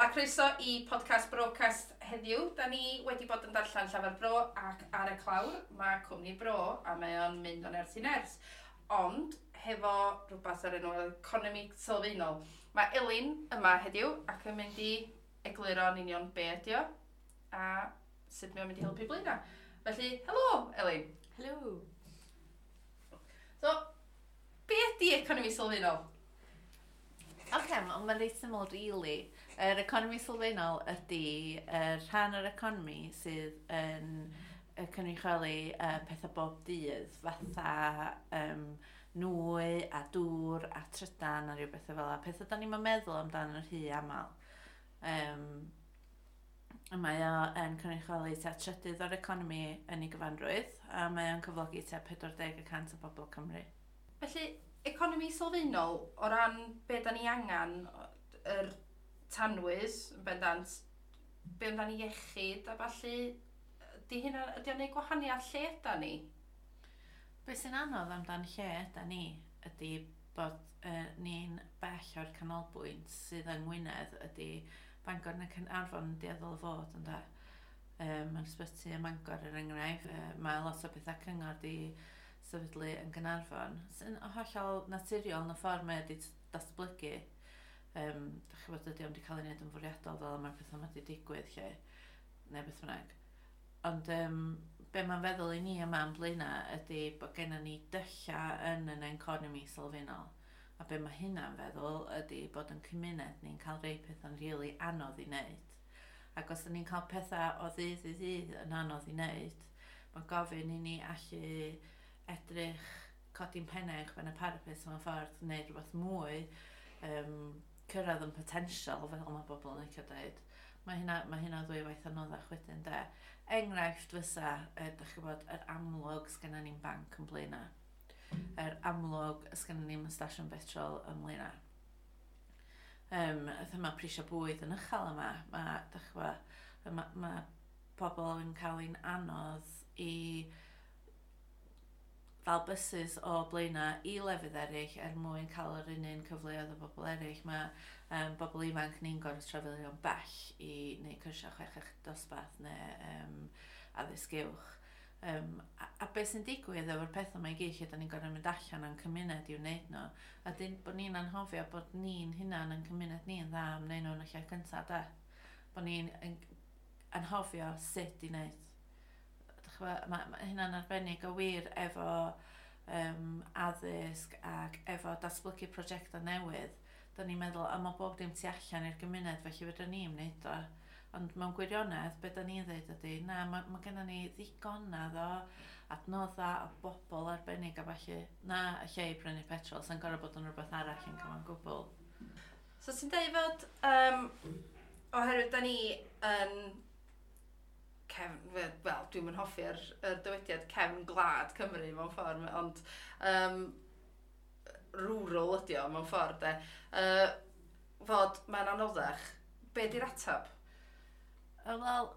A croeso i podcast Brocast heddiw. Da ni wedi bod yn darllen Llafar Bro ac ar y clawr mae Cwmni Bro a mae o'n mynd o ners i ners. Ond hefo rhywbeth ar enw economi sylfaenol. Mae Elin yma heddiw ac yn mynd i egluro yn union be ydi o a sut mae o'n mynd i helpu Blaenau. Felly, helo Elin. Helo. So, be ydi economi sylfaenol? Oce, okay, mae'n reit syml, really. Yr economi sylfaenol ydy y rhan o'r economi sydd yn cynrychioli pethau bob dydd, fatha nwy a dŵr a trydan a rhyw bethau fel 'na. Pethau da ni'n meddwl amdano yn rhy aml. Mae o yn cynrychioli tua trydydd o'r economi yn ei gyfanrwydd, a mae o'n cyflogi tua 40% o bobl Cymru. Felly, economi sylfaenol, o ran be da ni angen, yr tanwydd, yn bendant, be amdano iechyd a ballu, ydy hynna, ydy o'n neud gwahaniaeth lle yda ni? Be sy'n anodd amdan lle yda ni ydy bod ni'n bell o'r canolbwynt sydd yng Ngwynedd, ydy Bangor neu Caernarfon yn dueddol o fod, ynde. Mae'r ysbyty ym Mangor er enghraifft, mae lot o bethau cyngor di sefydlu yn Gaernarfon, sy'n hollol naturiol yn y ffordd mae wedi datblygu. Dach chi'n gwybod, ydy o'm wedi cael ei wneud yn fwriadol fel mae'r pethau yma wedi digwydd lle, neu beth bynnag. Ond be mae'n feddwl i ni yma yn Blaenau ydy bod gennym ni dyllau yn yn economi sylfaenol. A be mae hynna'n feddwl ydy bod yn cymuned ni'n cael rei pethau'n rili anodd i wneud. Ac os ydyn ni'n cael pethau o ddydd i ddydd yn anodd i wneud, mae gofyn i ni allu edrych, codi'n pennau uwchben y parapet mewn ffordd, wneud rhywbeth mwy, cyrraedd yn potensial, fel mae bobl yn licio dweud. Mae hynna ddwy waith anoddach wedyn, de. Enghraifft fysa, dach chi'n gwybod, yr amlwg sgynna ni'n banc yn Blaenau. Yr amlwg sgynna ni'n stasiwn petrol yn Blaenau. Mae prisio bwyd yn uchel yma. Mae, dach chi'n gwybod, ma pobl yn cael ein anodd i ddal buses o Blaenau i lefydd eraill er mwyn cael yr un un cyfleoedd o bobl eraill. Mae bobl ifanc ni'n gorfod trafeilio'n bell i wneud cyrsiau chweched dosbarth neu addysg uwch. A beth sy'n digwydd efo'r pethau mae i gyd lle da ni'n gorfod mynd allan o'n cymuned i'w wneud nhw. A dyn bod ni'n anghofio bod ni'n hunan yn cymuned ni yn dda am wneud nhw yn y lle cyntaf, de. Bod ni'n anghofio sut i wneud. Mae hynna'n arbennig o wir efo addysg ac efo datblygu prosiectau newydd. Da ni'n meddwl, a mae bob dim tu allan i'r gymuned, felly fedra ni'n wneud o. Ond mewn gwirionedd, be da ni'n dweud ydy, na, mae gennym ni ddigonedd o adnoddau o bobl arbennig a falle, na, y lle i brynu petrol, sy'n gorfod bod yn rhywbeth arall yn cyfan gwbl. So ti'n dweud fod, oherwydd da ni yn cefn, wel, dwi'n mynd hoffi'r yr dywediad cefn gwlad Cymru mewn ffordd, ond rural ydi o mewn ffordd, de. Fod mae'n anoddach, be di'r atab? Wel,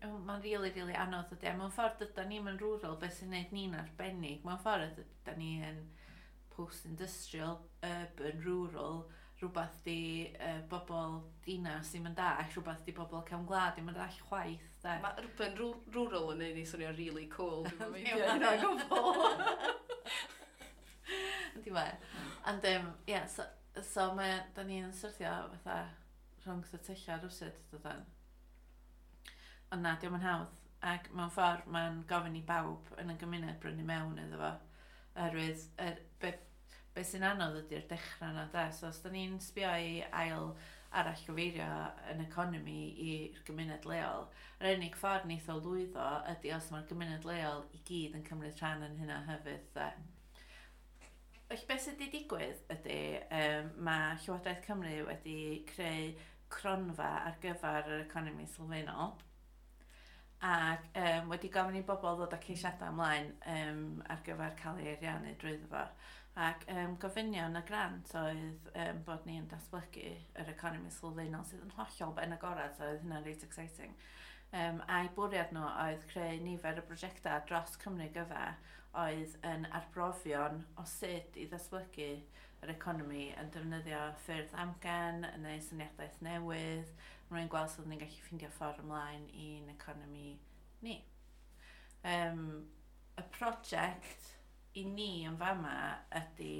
mae'n really, really anodd ydy. Mewn ffordd ydy ni'n yn rural, beth sy'n gwneud ni'n arbennig. Mewn ffordd ydy ni yn post-industrial, urban, rural, rhywbeth di bobl dinas ddim yn dall, rhywbeth di bobl cefn gwlad ddim yn dall chwaith. De. Mae urban rural yn neud ni swnio really cool. Dwi'n meindio hynna o gwbl. Yndi mae. Ond, ie, so mae, da ni'n syrthio fatha rhwng y tyllau rwsut, dydan. Ond na, dio'm yn hawdd. Ac mewn ffordd mae'n gofyn i bawb yn y gymuned brynu mewn iddo fo. Oherwydd, be sy'n anodd ydy'r dechrau yna, de. So os da ni'n sbio i ail arall gyfeirio yn economi i'r gymuned leol, yr unig ffordd neith o lwyddo ydy os mae'r gymuned leol i gyd yn cymryd rhan yn hynna hefyd, de. Felly beth sydd wedi digwydd ydy, mae Llywodraeth Cymru wedi creu cronfa ar gyfer yr economi sylfaenol ac wedi gofyn i bobl ddod â ceisiadau ymlaen ar gyfer cael ei ariannu drwyddo fo. Ac gofynion y grant oedd bod ni'n datblygu yr economi sylfaenol sydd yn hollol ben agorad, so oedd hynna'n reit exciting. A'i bwriad nhw oedd creu nifer o brosiectau dros Cymru gyfa oedd yn arbrofion o sut i ddatblygu yr economi yn defnyddio ffyrdd amgen neu syniadaeth newydd, mwyn gweld sut ni'n gallu ffeindio ffordd ymlaen i'n economi ni. Y prosiect i ni yn fama ydy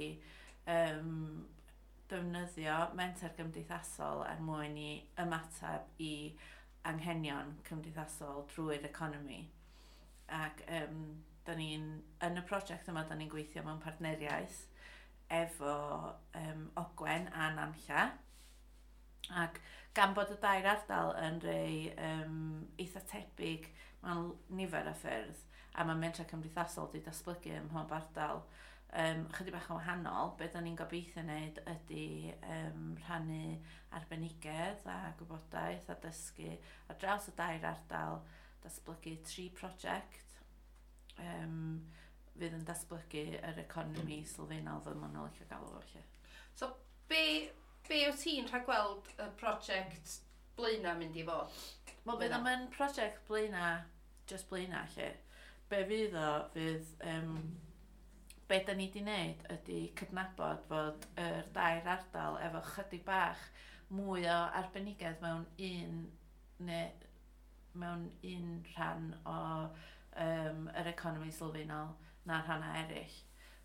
defnyddio menter gymdeithasol er mwyn i ymateb i anghenion cymdeithasol drwy'r economi. Ac da ni'n, yn y prosiect yma, da ni'n gweithio mewn partneriaeth efo Ogwen a Nantlla. Ac gan bod y dair ardal yn rei eitha tebyg mewn nifer o ffyrdd, a mae mentrau cymdeithasol wedi datblygu ym mhob ardal chydig bach yn wahanol, be da ni'n gobeithio wneud ydy rhannu arbenigedd a gwybodaeth a dysgu ar draws y dair ardal, datblygu 3 prosiect fydd yn datblygu yr economi sylfaenol fel maen nhw'n licio galw fo, felly. So, be wyt ti'n rhagweld y prosiect Blaenau mynd i fod? Wel, bydd o'm yn prosiect Blaenau, just Blaenau, lle. Be fydd o, fydd... Be da ni wedi wneud ydy cydnabod fod yr dair ardal efo chydig bach mwy o arbenigedd mewn un, neu, mewn un rhan o yr economi sylfaenol na'r rhannau eraill.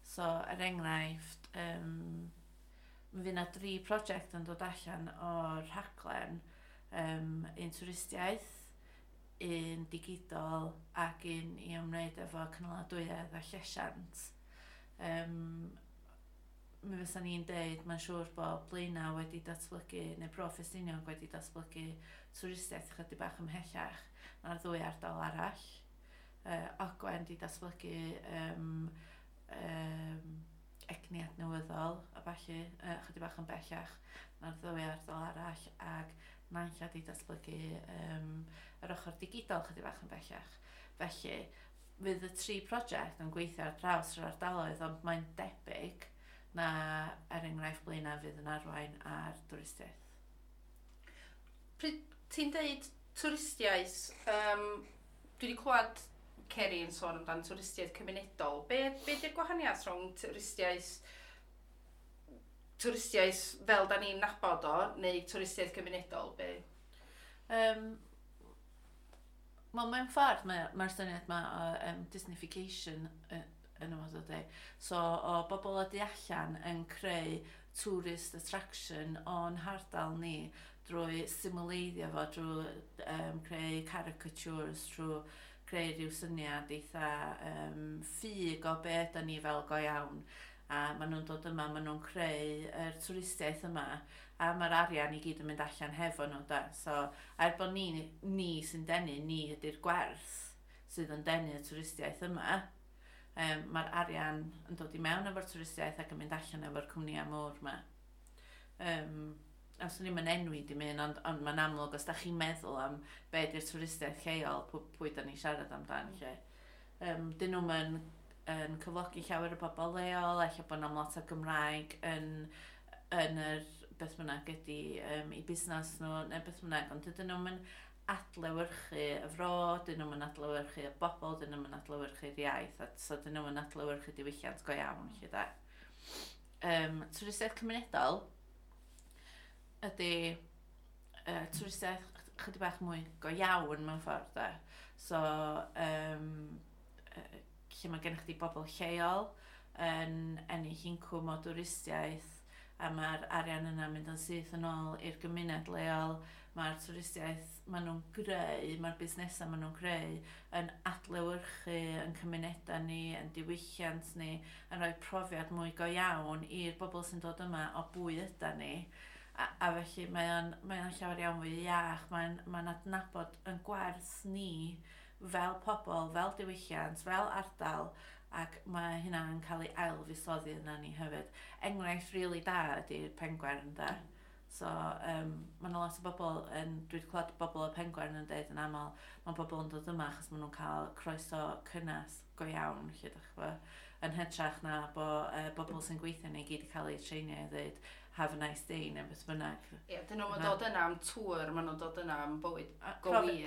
So, er enghraifft, mi fydd yna 3 prosiect yn dod allan o'r rhaglen, un twristiaeth, un digidol ac un i ymwneud efo cynaladwyedd a llesiant. Mi fysa ni'n deud, mae'n siŵr bod Blaenau wedi datblygu, neu Bro Ffestiniog wedi datblygu twristiaeth chydig bach ymhellach na'r ddwy ardal arall. Ogwen wedi datblygu egni adnewyddol a ballu, chydig bach yn bellach na'r ddwy ardal arall, ac Nantlla wedi datblygu yr ochr digidol chydig bach yn bellach. Felly, fydd y 3 prosiect yn gweithio ar draws yr ardaloedd, ond mae'n debyg na, er enghraifft, Blaenau fydd yn arwain ar dwristiaeth. Pryd ti'n deud twristiaeth, dwi wedi clywed Ceri yn sôn amdan twristiaeth cymunedol. Be di'r gwahaniaeth rhwng twristiaeth fel da ni'n nabod o, neu twristiaeth cymunedol? Be? Wel, mewn ffordd, mae'r syniad yma o Disneyfication yn y modd o dweud. So, o bobl o du allan yn creu tourist attraction o'n hardal ni drwy simuleiddio fo, drwy creu caricatures, drwy creu rhyw syniad eitha ffug o be ydan ni fel go iawn. A maen nhw'n dod yma, maen nhw'n creu yr twristiaeth yma, a mae'r arian i gyd yn mynd allan hefo nhw, da. So, er bod ni sy'n denu, ni ydy'r gwerth sydd yn denu y twristiaeth yma, mae'r arian yn dod i mewn efo'r twristiaeth ac yn mynd allan efo'r cwmnïau mawr yma. A swn i'm yn enwi dim un, ond mae'n amlwg os da chi'n meddwl am be ydy'r twristiaeth lleol, pwy da ni'n siarad amdan, lle. Dyn nhw'm yn cyflogi llawer o bobl leol, ella bod nhw'n lot o Gymraeg yn yr beth bynnag ydy i busnes nhw, neu beth bynnag, ond dydyn nhw'n mynd adlewyrchu y fro, dyn nhw'n mynd adlewyrchu y bobl, dyn nhw'n mynd adlewyrchu'r iaith, a so dyn nhw'n mynd adlewyrchu diwylliant go iawn, lle da. Twristiaeth cymunedol ydy twristiaeth chydig bach mwy go iawn mewn ffordd, da. So, lle mae gennych chdi bobl lleol yn ennill incwm o dwristiaeth, a mae'r arian yna mynd yn syth yn ôl i'r gymuned leol. Mae'r twristiaeth maen nhw'n greu, mae'r busnesau maen nhw'n greu yn adlewyrchu yn cymunedau ni, yn diwylliant ni, yn rhoi profiad mwy go iawn i'r bobl sy'n dod yma o bwy yda ni. A felly mae'n llawer iawn fwy iach, mae'n adnabod yn gwerth ni fel pobl, fel diwylliant, fel ardal, ac mae hynna'n cael ei ailfusoddi yna ni hefyd. Enghraifft rili da ydy'r Pengwern, da. So, mae yna lot o bobl, dwi wedi clywed bobl o Pengwern yn dweud yn aml, mae bobl yn dod yma achos maen nhw'n cael croeso cynnes go iawn, lle dach chi, yn hytrach na bo bobl sy'n gweithio ni gyd i cael eu treinio i ddweud have a nice day neu beth bynnag. Ie, dyn nhw'n dod yna am tŵr, maen nhw'n dod yna am bywyd go wir.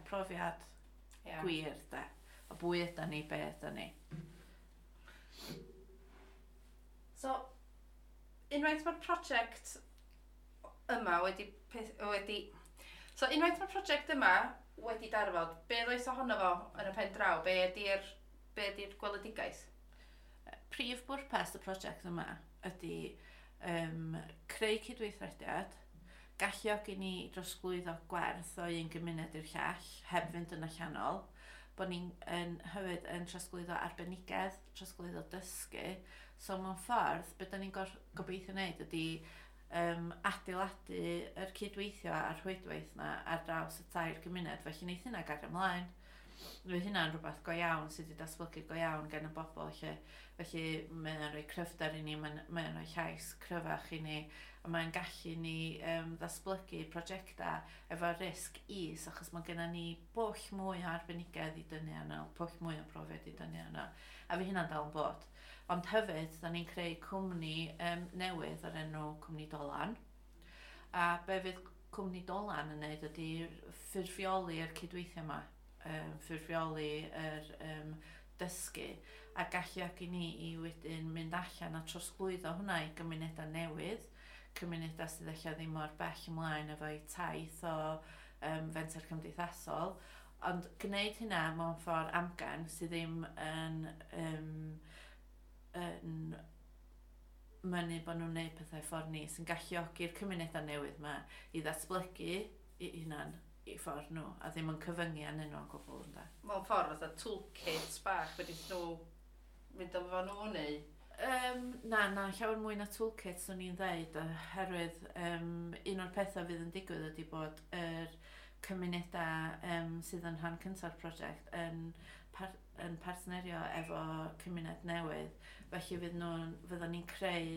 Profiad gwir, da. O bwy yda ni, be yda ni. So, unwaith mae'r prosiect yma wedi. So, unwaith mae'r prosiect yma wedi darfod, be ddoes ohono fo yn y pen draw? Be ydy'r gweledigaeth? Prif bwrpas y prosiect yma ydy creu cydweithrediad, galluogi ni drosglwyddo gwerth o un gymuned i'r llall, heb fynd yn allanol, bod ni'n yn, hefyd yn trosglwyddo arbenigedd, trosglwyddo dysgu. So mewn ffordd, beth da ni'n gobeithio wneud ydy adeiladu yr cydweithio a'r rhwydwaith na ar draws y tair gymuned, felly wneith hynna gario ymlaen. Fydd hynna'n rhywbeth go iawn sydd wedi datblygu go iawn gan y bobl lle. Felly mae'n rhoi cryfder i ni, mae'n rhoi llais cryfach i ni, a mae'n gallu ni ddatblygu prosiectau efo risg is, achos mae gennym ni bwll mwy o arbenigedd i dynnu arno, pwll mwy o brofiad i dynnu arno, a fydd hynna'n dal yn bod. Ond hefyd, da ni'n creu cwmni newydd o'r enw Cwmni Dolan. A be fydd Cwmni Dolan yn neud ydy ffurfioli'r cydweithio yma, ffurfioli yr dysgu a galluogi ni i wedyn mynd allan a trosglwyddo hwnna i gymunedau newydd, cymunedau sydd eich ddim mor bell ymlaen efo'u taith o fenter cymdeithasol, ond gwneud hynna mewn ffordd amgen sydd ddim yn mynnu bod nhw'n gwneud pethau ffordd ni, sy'n galluogi'r cymunedau newydd yma i ddatblygu i hunan i ffordd nhw, a ddim yn cyfyngu arnyn nhw o gwbl, ynde. Mewn ffordd fatha toolkits bach wedi nhw mynd efo nhw neu? Na, llawer mwy na toolkit swn i'n dweud, oherwydd un o'r pethau fydd yn digwydd ydy bod yr cymunedau sydd yn rhan cynta'r prosiect yn partnerio efo cymuned newydd. Felly fyddwn ni'n creu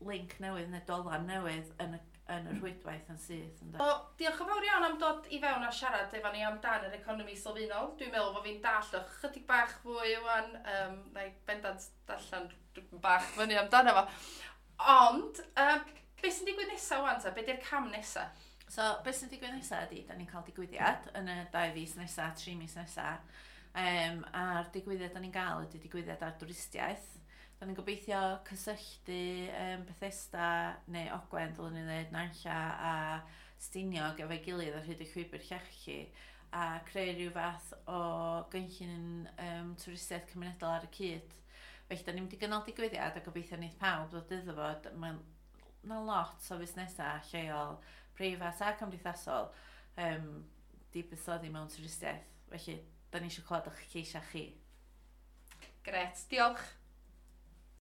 link newydd neu dolan newydd yn y rhwydwaith yn syth. Ynde? O, diolch yn fawr iawn am dod i fewn a siarad efo ni amdan yr economi sylfaenol. Dwi'n meddwl bod fi'n dallt o chydig bach fwy wan. Na i bendant darllen rhywbeth bach fyny amdano fo. Ond, beth sy'n digwydd nesaf wan ta? Be di'r cam nesaf? So, beth sy'n digwydd nesaf ydy, da ni'n cael digwyddiad yn y 2 fis nesaf, 3 mis nesaf. A'r digwyddiad da ni'n gael ydy digwyddiad ar dwristiaeth. Da ni'n gobeithio cysylltu Bethesda neu Ogwen, dylwn ni ddweud, Nantlla a Stiniog efo'i gilydd ar hyd y llwybr llechi a creu rhyw fath o gynllun twristiaeth cymunedol ar y cyd. Felly, da ni'n mynd i gynnal digwyddiad a gobeithio wneith pawb ddod iddo fo. Mae'n na lot o fusnesau lleol, preifat a cymdeithasol di buddsoddi mewn twristiaeth. Felly, da ni eisiau clywed o'ch lleisiau chi. Gret, diolch.